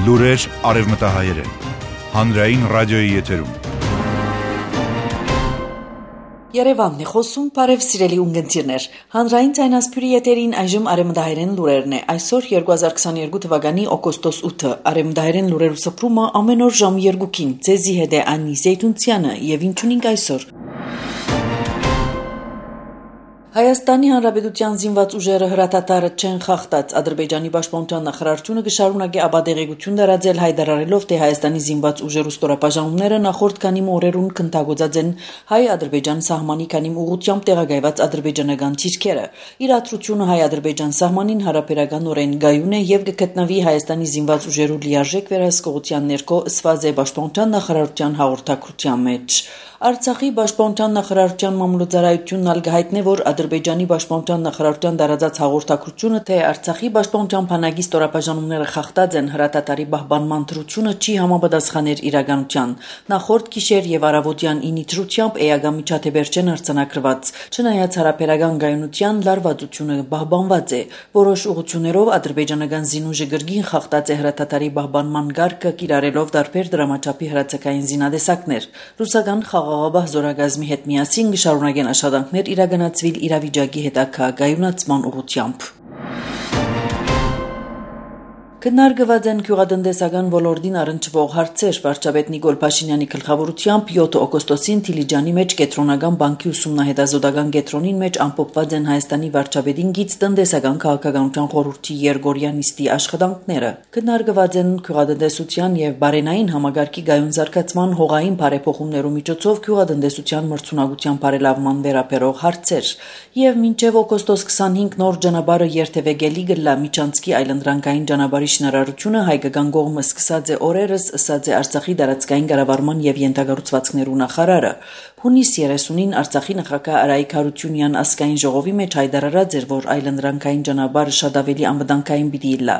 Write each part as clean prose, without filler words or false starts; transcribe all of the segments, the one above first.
Լուրեր արևմտահայերեն, հանրային ռադիոյի եթերում։ Երևանն է խոսում, բարև սիրելի ունգընտիրներ, հանրային ցայնասփյուրի եթերին այժմ արևմտահայերեն լուրերն է, այսօր 2022 թվականի օգոստոս 8-ը, արևմտահայերեն լուրերու սփռումը ամեն օր ժամ 2-ին, ձեզի հետ է Անի Զեյթունցյանը եւ ինչունինք այսօր։ Հայաստանի Հանրապետության զինված ուժերը հրատատարը չեն խախտած, Ադրբեջանի պաշտպանության նախարարությունը կշարունակի աբադեղեցություն դարաձել հայտարարելով, թե Հայաստանի զինված ուժերու ստորապաժանումները նախորդ քանի օրերուն քննադատված են հայ-ադրբեջան սահմանի քանի ուղղությամբ տեղակայված ադրբեջանական ցիրքերը։ Իրադրությունը հայ-ադրբեջան սահմանին հարաբերականորեն գայուն է եւ կգտնվի Հայաստանի զինված ուժերու լիարժեք վերահսկողության ներքո ըսված է պաշտպանության նախարարության հաղորդակցության մեջ։ Արցախի պաշտպանության նախարարության մամուլոցարայությունն ալգահայտնե, որ Ադրբեջանի պաշտպանության նախարարության դարաձած հաղորդակցությունը, թե Արցախի պաշտպանության բանակի ստորապաժանումները խախտած են, հրատատարի պահպանման դրությունը չի համապատասխաներ իրականության։ Նախորդ գիշեր եւ առավոտյան 9-ի դրությամբ էական միջադեպեր չեն արձանագրված։ Չնայած հարաբերական գայունության լարվածությունը պահպանված է, որոշ ուղղություններով ադրբեջանական զինուժը գրգին խախտած է հրատատարի պահպանման գարկը, կիրառելով տարբեր դրամաչափի հրացակային զինադեսակներ։ Ռուսական խաղաղապահ զորագազմի հետ միասին կշարունակեն աշխատանքներ իրականացվել իրավիճակի հետագայունացման ուղղությամբ։ Քննարկված են գյուղատնտեսական ոլորտին առնչվող հարցեր։ Վարչապետ Նիկոլ Փաշինյանի գլխավորությամբ 7 օգոստոսին Դիլիջանի մեջ Կենտրոնական բանկի ուսումնահետազոտական կենտրոնին մեջ ամփոփված են Հայաստանի վարչապետին գից տնտեսական քաղաքականության խորհրդի Երգորիա նիստի աշխատանքները։ Քննարկված են գյուղատնտեսության եւ բարենային համագարկի գայուն զարգացման հողային բարեփոխումներու միջոցով գյուղատնտեսության մրցունակության բարելավման վերաբերող հարցեր։ Եվ մինչև օգոստոս 25 նոր ճանապարհը երթևեկելի գլա միջանցքի այլընտրանքային ճանապարհի շինարարությունը հայկական կողմը սկսած է օրերս, ըսած է Արցախի դարածքային կառավարման եւ յենթագործվածքներու նախարարը։ Հունիս 30-ին Արցախի նախագահ Արայիկ Հարությունյան ազգային ժողովի մեջ հայտարարած էր, որ այլընտրանքային ճանապարհը շատ ավելի անվտանգային պիտի լա։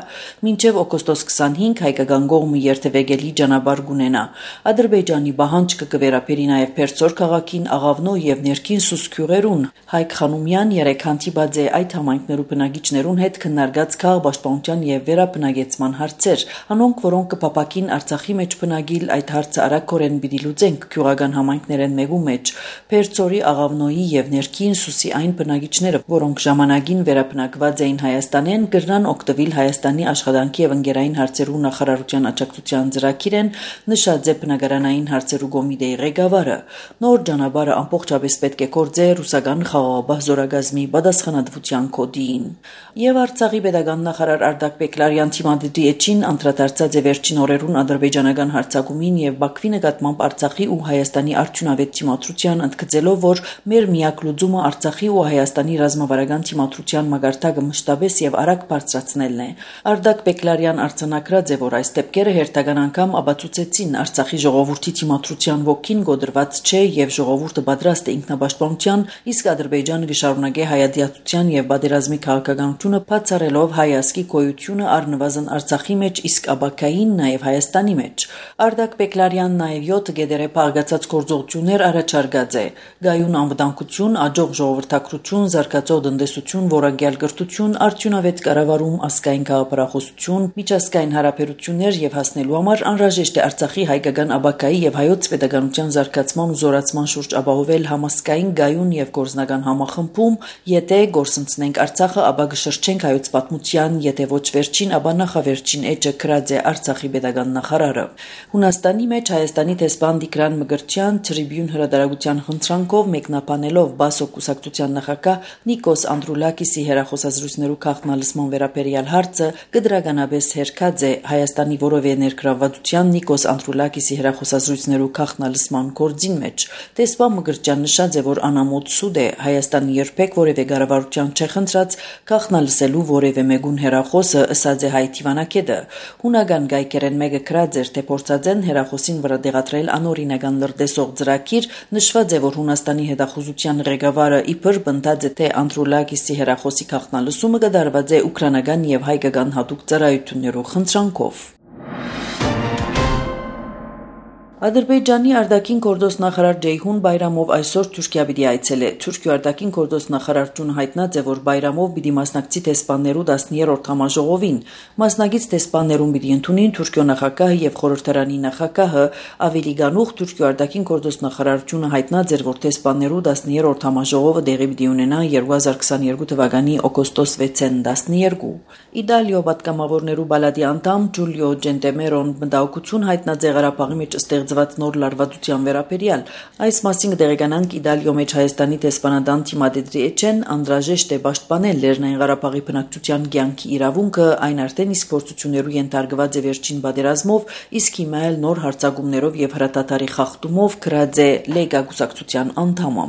Մինչև օգոստոս 25 հայկական կողմը երթևեկելի ճանապարհ կունենա։ Ադրբեջանի պահանջը կվերապերի նաեւ Փերձոր քաղաքին, Աղավնո եւ ներքին Սուսկյուղերուն։ Հայկ Խանոմյան երեք հանդիպած է այդ համայնքներու բնակիչներուն հետ քննարկած քաղաքապաշտպանության եւ վերաբնակեցման հարցեր, անոնք որոնք կփապակին Արցախի մեջ բնագիլ այդ հարցը արագորեն պիտի լուծենք գյուղական համայնքներեն մեկու մեջ։ Փերձորի, Աղավնոյի եւ ներքին Սուսի այն բնակիչները, որոնք ժամանակին վերաբնակված էին Հայաստանեն, կրնան օգտվել Հայաստանի աշխատանքի եւ ընկերային հարցերու նախարարության աջակցության ծրագիրեն, նշած է բնակարանային հարցերու կոմիտեի ղեկավարը։ Նոր ճանապարհը ամբողջապես պետք է կործե ռուսական խաղաղապահ զորագազմի պատասխանատվության կոդին։ Եվ Արցախի պետական նախարար Արտակ Բեկլարյան թիմադրի էջին անդրադարձած է վերջին օրերուն ադրբեջանական հարձակումին եւ Բաքվի նկատմամբ Արցախի ու Հայաստանի արդյունավետ թիմադրության, ընդգծելով, որ մեր միակ լուծումը Արցախի ու Հայաստանի ռազմավարական թիմադրության մագարտակը մշտապես եւ արագ բարձրացնելն է։ Արտակ Բեկլարյան արձանագրած է, որ այս դեպքերը հերթական անգամ ապացուցեցին Արցախի ժողովրդի թիմադրության ոգին գոդրված չէ եւ ժողովուրդը պատրաստ է ինքնապաշտպանության, իսկ Ադրբեջանը կշարունակի հայատյացության եւ պատերազմի քաղաքականությունը բացառելով հայ ազգի գոյությունը առնվազն Արցախի մեջ, իսկ աբակային նաեւ Հայաստանի մեջ։ Արտակ Բեկլարյանն նաեւ 7 գեդերը փաղկացած գործողություններ առաջարկած է։ Գայուն անվտանգություն, աջող ժողովրդակրություն, զարգացող տնտեսություն, որակյալ կրթություն, արդյունավետ կառավարում, ազգային գաղափարախոսություն, միջազգային հարաբերություններ եւ հասնելու համար անհրաժեշտ է Արցախի հայկական աբակայի եւ հայոց պետականության զարգացման ու զորացման շուրջ ապահովել համասկային գայուն եւ գործնական համախմբում, եթե գործընծնենք Արցախը, ապա կշրջենք հայոց պատմության, եթե ոչ վերջին, ապա նախավերջին էջը գրած է Արցախի պետական նախարարը։ Հունաստանի մեջ Հայաստանի դեսպան Տիգրան Մկրտչյան Tribune հրատարակության խնդրանքով մեկնաբանելով Բասո կուսակցության նախագահ Նիկոս Անդրուլակիսի հերախոսազրույցներու քաղաքնալսման վերաբերյալ հարցը կդրականապես հերքած է Հայաստանի որևէ ներգրավվածության Նիկոս Անդրուլակիսի հերախոսազրույցներու քաղաքնալսման գործին մեջ։ Դեսպան Մկրտչյան նշած է, որ անամոթ սուտ է Հայաստանը երբեք որևէ կառավարության չէ խնդրած քաղաքնալսելու որևէ մեկուն հերախոսը, ըսած է հայ թիվանակետը։ Հունական գայքերեն մեկը գրած էր, թե փորձած են հերախոսին վրա դեղատրել անօրինական լրտեսող ծրագիր, նշված է, որ Հունաստանի հետախուզության ղեկավարը իբր բնդած է, թե Անդրուլակիսի հերախոսի քաղաքնալսումը կդարված է ուկրաինական եւ հայկական հատուկ ծառայություններու խնդրանքով։ Ադրբեջանի արտաքին գործոստ նախարար Ջեյհուն Բայրամով այսօր Թուրքիա պիտի այցելե։ Թուրքիա արտաքին գործոստ նախարարությունը հայտնած է, որ Բայրամով պիտի մասնակցի տեսփաններու 10-րդ համաժողովին։ Մասնակից տեսփաններուն պիտի ընդունին Թուրքիո նախագահը եւ խորհրդարանի նախագահը։ Ավելի գանուխ Թուրքիա արտաքին գործոստ նախարարությունը հայտնած էր, որ տեսփաններու 10-րդ համաժողովը տեղի պիտի ունենա 2022 թվականի օգոստոս 6-ին 12։ Իտալիո պատգամավորներու բալադի անդամ Ջուլիո Ջենտեմերոն մտահոգություն հայտնած է Ղարաբաղի մեջ ստեղծված նոր լարվածության վերաբերյալ։ Այս մասին կտեղեկանանք Իտալիո մեջ Հայաստանի տեսփանադան Թիմադեդրի Էչեն անհրաժեշտ է պաշտպանել Լեռնային Ղարաբաղի բնակչության կյանքի իրավունքը, այն արդեն իսկ փորձություններու ենթարկված է վերջին պատերազմով, իսկ հիմա էլ նոր հարձակումներով եւ հրատատարի խախտումով գրած է Լեգա կուսակցության անդամը։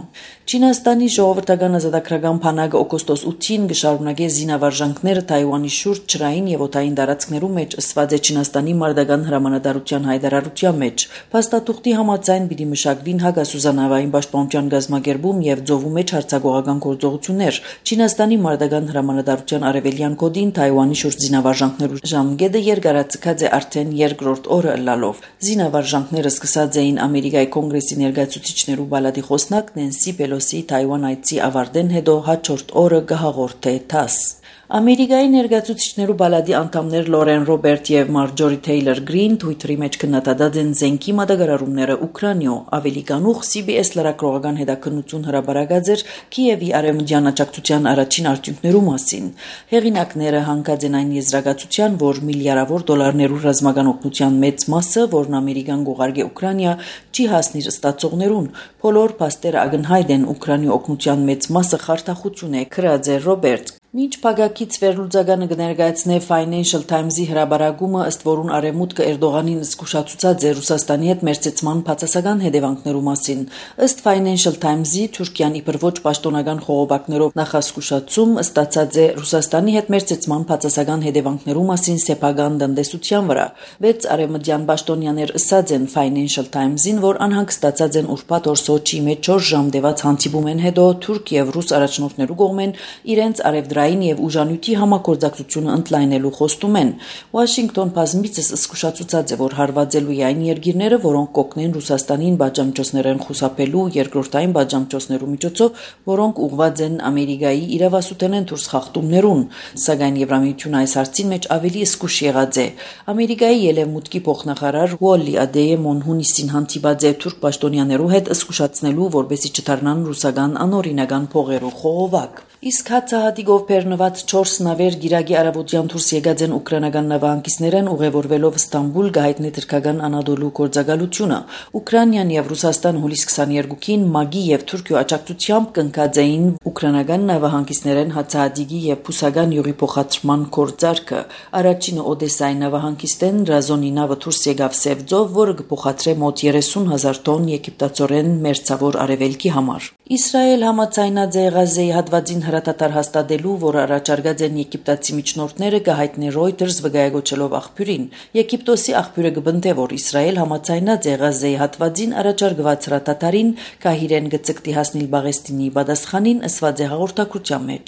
Չինաստանի ժողովրդական ազատագրական բանակը օգոստոս 8-ին կշարունակի զինավարժանքները Թայվանի շուրջ ջրային եւ օդային տարածքներու մեջ ըսված է Չինաստանի մարտական հրամանատարության հայտարարության մեջ։ Փաստաթուղթի համաձայն պիտի մշակվին հակասուզանավային պաշտպանության գազམ་ակերպում եւ ծովու մեջ հարձակողական գործողություններ։ Չինաստանի մարտական հրամանատարության արևելյան կոդին Թայվանի շուրջ զինավարժանքներու ժամկետը երկարացկած է արդեն երկրորդ օրը ըլլալով։ Զինավարժանքները սկսած էին Ամերիկայի կոնգրեսի ներկայացուցիչներու բալադի խոսնակ Նենսի Պելոսի Թայվան այցի ավարտեն հետո հաջորդ օրը կհաղորդե ԹԱՍ։ Ամերիկայի ներկայացուցիչներու բալադի անդամներ Լորեն Ռոբերտ եւ Մարջորի Թեյլոր Գրին Twitter-ի մեջ քննադատած են զենքի մատակարարումները Ուկրաինայո։ Ավելի գանուխ CBS լրագրողական հետաքննություն հրապարակած էր Կիևի արևմտյան աջակցության առաջին արդյունքներու մասին։ Հեղինակները հանգած են այն եզրակացության, որ միլիարդավոր դոլարներու ռազմական օգնության մեծ մասը, որն Ամերիկան գողարգե Ուկրաինա, չի հասնիր ստացողներուն։ Բոլոր փաստերը ակնհայտ են Ուկրաինի օգնության մեծ մասը խարդախություն է, գրած է Ռոբերտ։ Մինչ փակակից վերլուծականը կներկայացնե Financial Times-ի հրաբարակումը, ըստ որուն արևմուտքը Էրդողանին զսկուշացուցած է Ռուսաստանի հետ մերձեցման բացասական հետևանքներու մասին։ Ըստ Financial Times-ի Թուրքիան իբր ոչ պաշտոնական խողովակներով նախասկուշացում ստացած է Ռուսաստանի հետ մերձեցման բացասական հետևանքներու մասին սեփական տնտեսության վրա։ 6 արևմտյան պաշտոնյաներ ըսած են Financial Times-ին, որ անհանգստացած են ուրբաթ օր Սոչիի մեջ 4 ժամ տևած հանդիպումեն հետո թուրք եւ ռուս առաջնորդներու կողմեն իրենց արևդրային եւ ուժանյութի համագործակցությունը ընդլայնելու խոստում են։ Վաշինգտոն բազմիցս զսկուշացուցած է, որ հարվածելու է այն երկիրները, որոնք կօգնեն Ռուսաստանին բաժամիջոցներեն խուսափելու երկրորդային բաժամիջոցներու միջոցով, որոնք ուղղված են Ամերիկայի իրավասութենեն դուրս խախտումներուն։ Սակայն Եվրամիությունը այս հարցին մեջ ավելի զսկուշ եղած է։ Ամերիկայի ելևմուտքի փոխնախարար Ուոլլի Ադեյեմոն հունիսին հանդիպած է թուրք պաշտոնյաներու հետ զսկուշացնելու, որպեսզի չդառնան ռուսական անօրինական փողերու խողովակ։ Իսկ հացահատիկով բեռնված 4 նավեր գիրագի արաբոդյան դուրս եկած են ուկրաինական նավահանգիստներեն ուղևորվելով Ստամբուլ գահիտնի թրքական Անադոլու գործակալությունը։ Ուկրաինան եւ Ռուսաստան հուլիս 22-ին ՄԱԳ-ի եւ Թուրքիո աջակցությամբ կնքած էին ուկրաինական նավահանգիստներեն հացահատիկի եւ փուսական յուղի փոխադրման գործարքը։ Առաջինը Օդեսայի նավահանգիստեն Ռազոնի նավը դուրս եկավ Սևձով, որը կփոխադրե մոտ 30,000 տոն եգիպտացորեն մերձավոր արևելքի համար։ Իսրայել համաձայնած է Ղազեի հատվածին հրատատար հաստատելու, որը առաջարկած են եգիպտացի միջնորդները, կհայտնի Reuters վկայակոչելով աղբյուրին։ Եգիպտոսի աղբյուրը կբնթե, որ Իսրայել համաձայնած է Ղազեի հատվածին առաջարկված հրատատարին, կահիրեն գծկտի հասնել Բաղեստինի պատասխանին, ըսված է հաղորդակցության մեջ։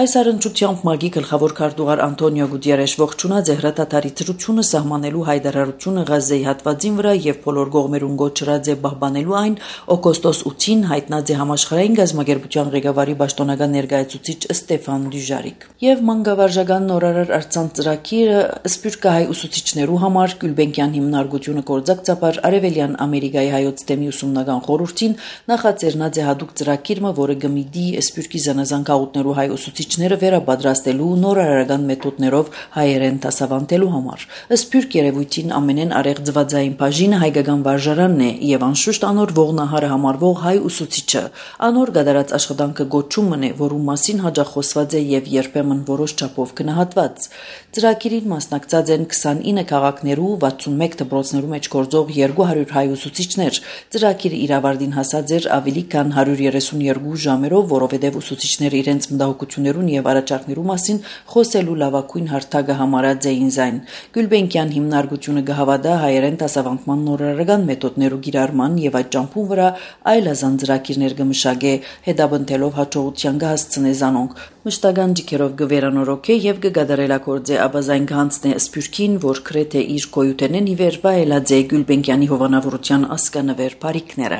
Այս առընչությամբ ՄԱԳ-ի գլխավոր քարտուղար Անտոնիո Գուտիերեշ ողջունած է հրատատարի ծրությունը սահմանելու հայտարարությունը Ղազեի հատվածին վրա եւ բոլոր կողմերուն գոչրած է պահպանելու այն օգոստոս 8-ին հայտնած է Աշխարհային գազམ་ակերպության ղեկավարի պաշտոնական ներկայացուցիչ Ստեֆան Դյուժարիկ։ Եվ մանկավարժական նորարար արձան ծրագիրը սփյուռքահայ ուսուցիչներու համար Գյուլբենկյան հիմնարկությունը կորձակցաբար Արևելյան Ամերիկայի հայոց թեմի ուսումնական խորհրդին նախաձեռնած է հատուկ ծրագիրը, որը գմիդի սփյուռքի զանազան գաղութներու հայ ուսուցիչները վերաբադրաստելու նորարարական մեթոդներով հայերեն դասավանդելու համար։ Սփյուռք երևույթին ամենեն արեղծվածային բաժինը հայկական վարժարանն է եւ անշուշտ անոր ողնահարը համարվող հայ ուսուցիչը։ Անոր գդարած աշխատանքը գոչումն է, որում մասին հաջող խոսված է եւ երբեմն որոշ չափով գնահատված։ Ծրագիրին մասնակցած են 29 քաղաքներու 61 դպրոցներու մեջ գործող 200 հայ ուսուցիչներ։ Ծրագիրը իրավարտին հասած էր ավելի քան 132 ժամերով, որովհետեւ ուսուցիչները իրենց մտահոգություններուն եւ առաջարկներու մասին խոսելու լավագույն հարթակը համարած էին զայն։ Գյուլբենկյան հիմնարկությունը կհավատա հայերեն դասավանդման նորարարական մեթոդներու կիրառման եւ այդ ճամփուն վրա այլազան ծրագիրներ մշակե հետաբնթելով հաջողության կհասցնե զանոնք։ Մշտական ջիքերով գվերանորոք է եւ գգադարելակորձե աբազայն գանցն է սպյուրքին, որ կրեթե իր կոյութենեն իվեր վայելած է Գյուլբենկյանի հովանավորության ասկանվեր բարիքները։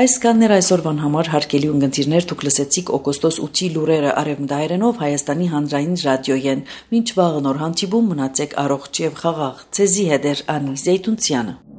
Այս կաններ այսօրվան համար հարկելի ունգընտիրներ թուք լսեցիք օգոստոս 8-ի լուրերը արևմտահայերենով Հայաստանի հանրային ռադիոյեն։ Մինչ վաղը նոր հանդիպում մնացեք առողջ եւ խաղաղ։ Ցեզի հետ Անի Զեյթունցյանը։